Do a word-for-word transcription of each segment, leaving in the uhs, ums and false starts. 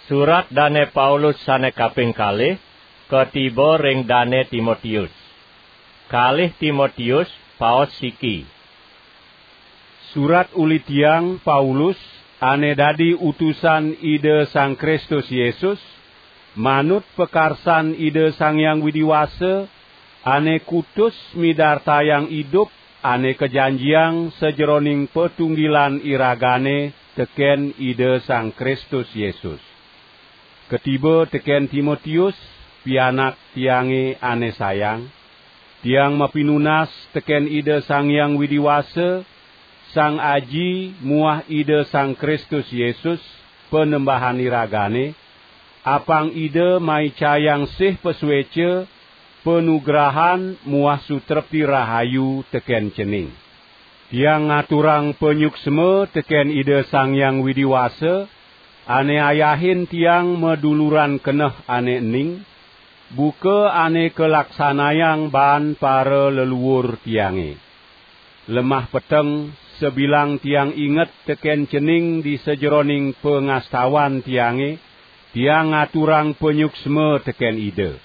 Surat Dane Paulus sane kaping kalih katiba ring Dane Timotius. Kalih Timotius, paos siki. Surat uli tiang, Paulus, ane dadi utusan Ida Sang Kristus Yesus, manut pakarsan Ida Sang Hyang Widi Wasa, ane kutus midartayang idup ane kajanjiang sajeroning patunggilan iragane teken Ida Sang Kristus Yesus. Katiba teken Timotius, pianak tiange ane sayang. Tiang mapinunas teken Ida Sang Hyang Widi Wasa, Sang Aji muah Ida Sang Kristus Yesus, Panembahan iragane, apang Ida maicayang sih pasueca, panugrahan muah sutrepti rahayu teken cening. Tiang ngaturang panyuksma teken Ida Sang Hyang Widi Wasa, ane ayahin tiang maduluran keneh ane ening, buka ane kalaksanayang baan para leluur tiange. Lemah peteng, sabilang tiang inget teken cening di sajeroning pangastawan tiange, tiang ngaturang panyuksma teken Ida.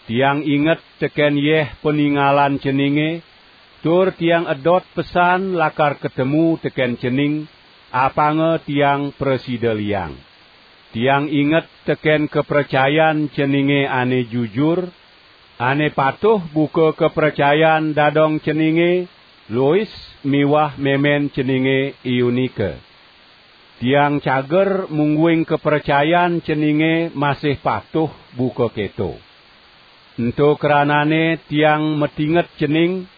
Tiang inget teken yeh paningalan ceninge, tur tiang edot pesan lakar katemu teken cening, apanga tiang prasida liang. Tiang inget teken kapracayan ceninge ane jujur, ane patuh buka kapracayan dadong ceninge, Lois miwah memen ceninge Eunike. Tiang cager mungguing kapracayan ceninge masih patuh buka keto. Ento kranane tiang matinget cening,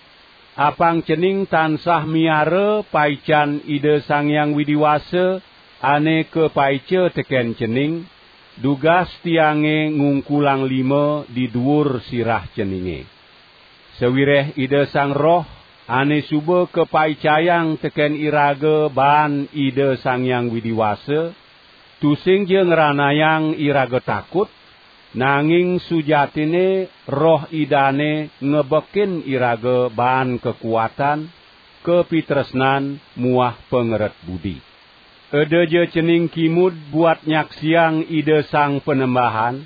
apang cening tansah miara paican Ida Sang Hyang Widi Wasa ane kapaica teken cening, dugas tiange ngungkulang lima di duur sirah ceninge. Sawireh Ida Sang Roh ane suba kapaicayang teken iraga baan Ida Sang Hyang Widi Wasa, tusingja ngranayang iraga takut, nanging sujatinne Roh Idane ngebekin iraga baan kakuatan, kapitresnan muah pangeret budi. Edaja cening kimud buat nyaksiang Ida Sang Panembahan,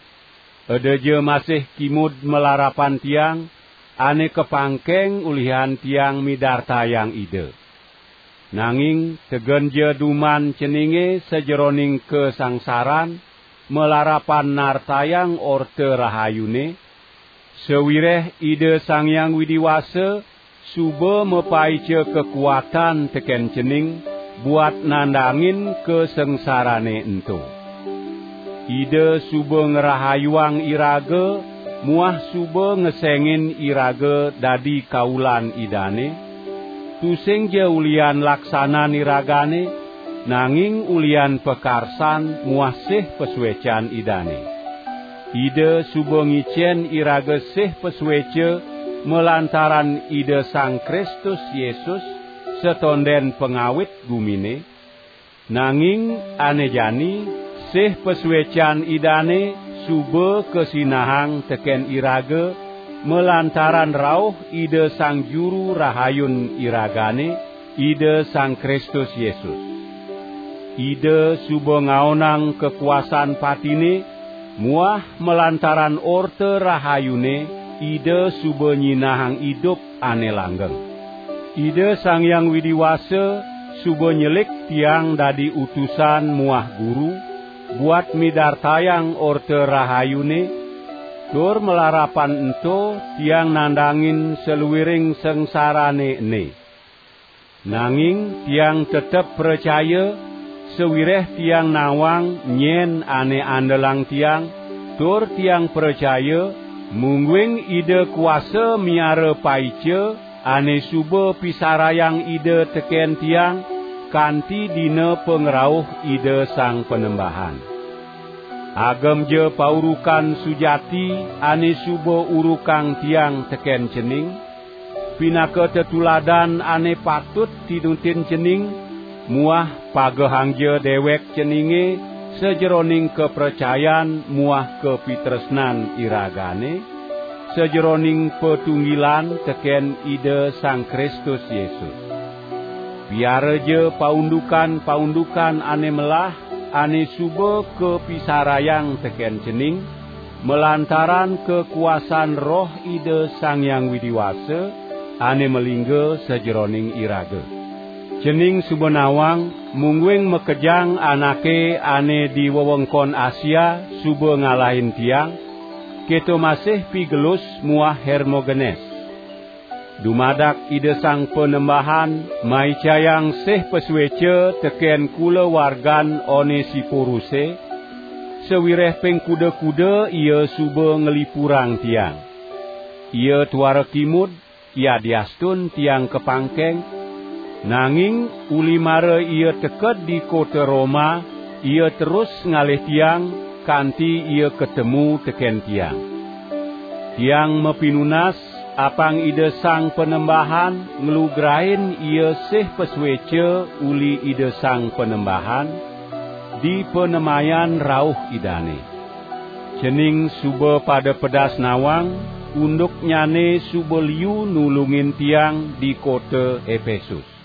edaja masih kimud malarapan tiang, ane kapangkeng ulihan tiang midartayang Ida. Nanging tegenja duman ceninge sajeroning kasangsaran, malarapan nartayang Orta Rahayune, sawireh Ida Sang Hyang Widi Wasa suba mapaica kakuatan teken cening buat nandangin kasangsarane ento. Ida suba ngrahayuang iraga muah suba ngesengin iraga dadi kaulan Idane, tusingja ulihan laksanan iragane, nanging ulihan pakarsan muah sih pasuecan Idane. Ida suba ngicen iraga sih pasueca malantaran Ida Sang Kristus Yesus, satonden pangawit gumine, nanging ane jani sih pasuecan Idane suba kasinahang teken iraga malantaran rauh Ida Sang Juru Rahayun iragane, Ida Sang Kristus Yesus. Ida suba ngaonang kakuasan patine, muah malantaran Orta Rahayune Ida suba nyinahang idup ane langgeng. Ida Sang Hyang Widi Wasa suba nyelik tiang dadi utusan muah guru, buat midartayang Orta Rahayune, tur malarapan ento tiang nandangin saluiring sangsarane ene. Nanging tiang tetep pracaya, sawireh tiang nawang nyen ane andelang tiang, tur tiang pracaya, mungguing Ida kuasa miara paica ane suba pisarayang Ida teken tiang, kanti dina pangrauh Ida Sang Panembahan. Agemja paurukan sujati ane suba urukang tiang teken cening, pinaka tetuladan ane patut tinutin cening, muah pagehangja dewek ceninge sajeroning kapracayan muah kapitresnan iragane, sajeroning patunggilan teken Ida Sang Kristus Yesus. Piaraja paundukan-paundukan ane melah, ane suba kapisarayang teken cening, malantaran kakuasan Roh Ida Sang Hyang Widi Wasa ane malingga sajeroning iraga. Cening suba nawang, mungguing makejang anake ane di wewengkon Asia suba ngalahin tiang, keto masih Pigelus muah Hermogenes. Dumadak Ida Sang Panembahan maicayang sih pasueca teken kulawargan Onesiporuse, sawireh ping kuda-kuda ia suba nglipurang tiang. Ia tuara kimud, yadiastun tiang kapangkeng, nanging uli mara ia teked di kota Roma, ia terus ngalih tiang, kanti ia katemu teken tiang. Tiang mapinunas, apang Ida Sang Panembahan nglugrain ia sih pasueca uli Ida Sang Panembahan, di panemayan rauh Idane. Cening suba pada pedas nawang, unduknyane suba liu nulungin tiang di kota Epesus.